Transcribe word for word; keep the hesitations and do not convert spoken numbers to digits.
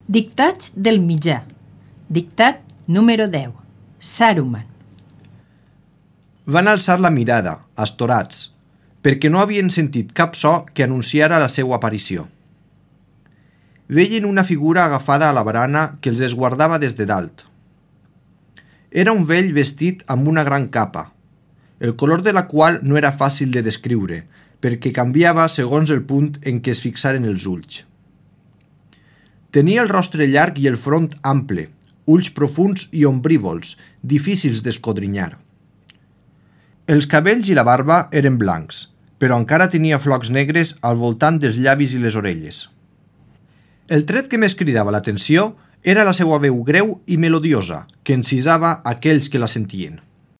Dictats del mitjà. Dictat número deu. Saruman. Van alçar la mirada, astorats, perquè no havien sentit cap so que anunciara la seva aparició. Veien una figura agafada a la barana que els esguardava des de dalt. Era un vell vestit amb una gran capa, el color de la qual no era fàcil de descriure, perquè canviava segons el punt en què es fixaren els ulls. Tenia el rostre llarg i el front ample, ulls profunds i ombrívols, difícils d'escodrinyar. Els cabells i la barba eren blancs, però encara tenia flocs negres al voltant dels llavis i les orelles. El tret que més cridava l'atenció era la seva veu greu i melodiosa, que encisava aquells que la sentien.